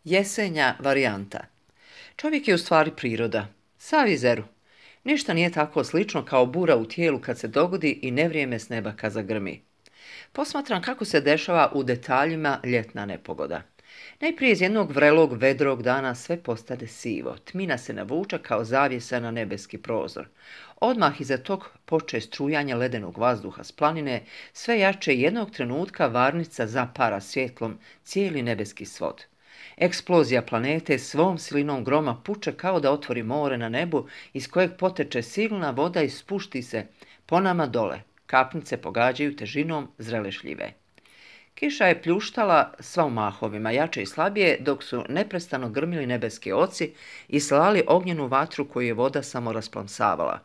Jesenja varijanta. Čovjek je u stvari priroda. Sav je zeru. Ništa nije tako slično kao bura u tijelu kad se dogodi i nevrijeme s neba kad zagrmi. Posmatram kako se dešava u detaljima ljetna nepogoda. Najprije iz jednog vrelog, vedrog dana sve postade sivo. Tmina se navuče kao zavjesa na nebeski prozor. Odmah iza tog poče strujanje ledenog vazduha s planine, sve jače jednog trenutka varnica zapara svjetlom cijeli nebeski svod. Eksplozija planete svom silinom groma puče kao da otvori more na nebu iz kojeg poteče silna voda i spušti se po nama dole. Kapnice pogađaju težinom zrele šljive. Kiša je pljuštala sva u mahovima, jače i slabije, dok su neprestano grmili nebeski oci i slali ognjenu vatru koju je voda samo rasplamsavala.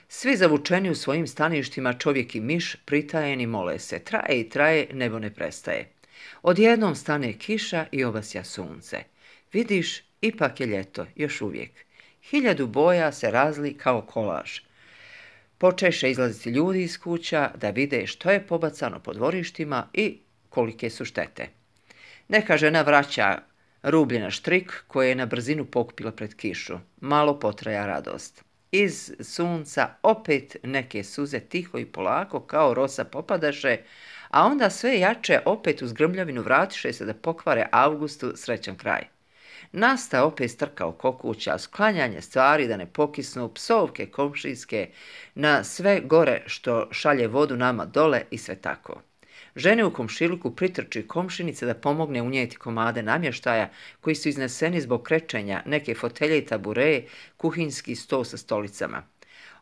Svi zavučeni u svojim staništima, čovjek i miš, pritajeni mole se. Traje i traje, nebo ne prestaje. Odjednom stane kiša i obasja sunce. Vidiš, ipak je ljeto, još uvijek. 1000 boja se razli kao kolaž. Počeše izlaziti ljudi iz kuća da vide što je pobacano po dvorištima i kolike su štete. Neka žena vraća rublje na štrik koje je na brzinu pokupila pred kišu. Malo potraja radost. Iz sunca opet neke suze tiho i polako kao rosa popadaše, a onda sve jače opet uz grmljavinu vratiše se da pokvare Avgustu srećan kraj. Nasta opet strka oko kuća, sklanjanje stvari da ne pokisnu, psovke komšijske na sve gore što šalje vodu nama dole i sve tako. Žene u komšiluku pritrči komšinice da pomogne unijeti komade namještaja koji su izneseni zbog krečenja, neke fotelje i tabureje, kuhinjski sto sa stolicama.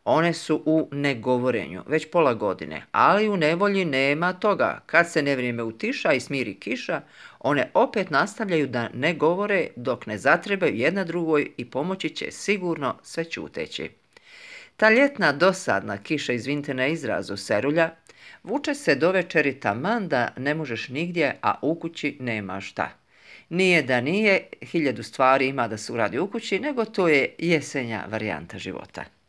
One su u negovorenju već pola godine, ali u nevolji nema toga. Kad se nevrijeme utiša i smiri kiša, one opet nastavljaju da ne govore dok ne zatrebaju jedna drugoj i pomoći će sigurno sve ćuteći. Ta ljetna dosadna kiša, izvinite na izrazu, serulja, vuče se do večeri taman da ne možeš nigdje, a u kući nema šta. Nije da nije, 1000 stvari ima da se uradi u kući, nego to je jesenja varijanta života.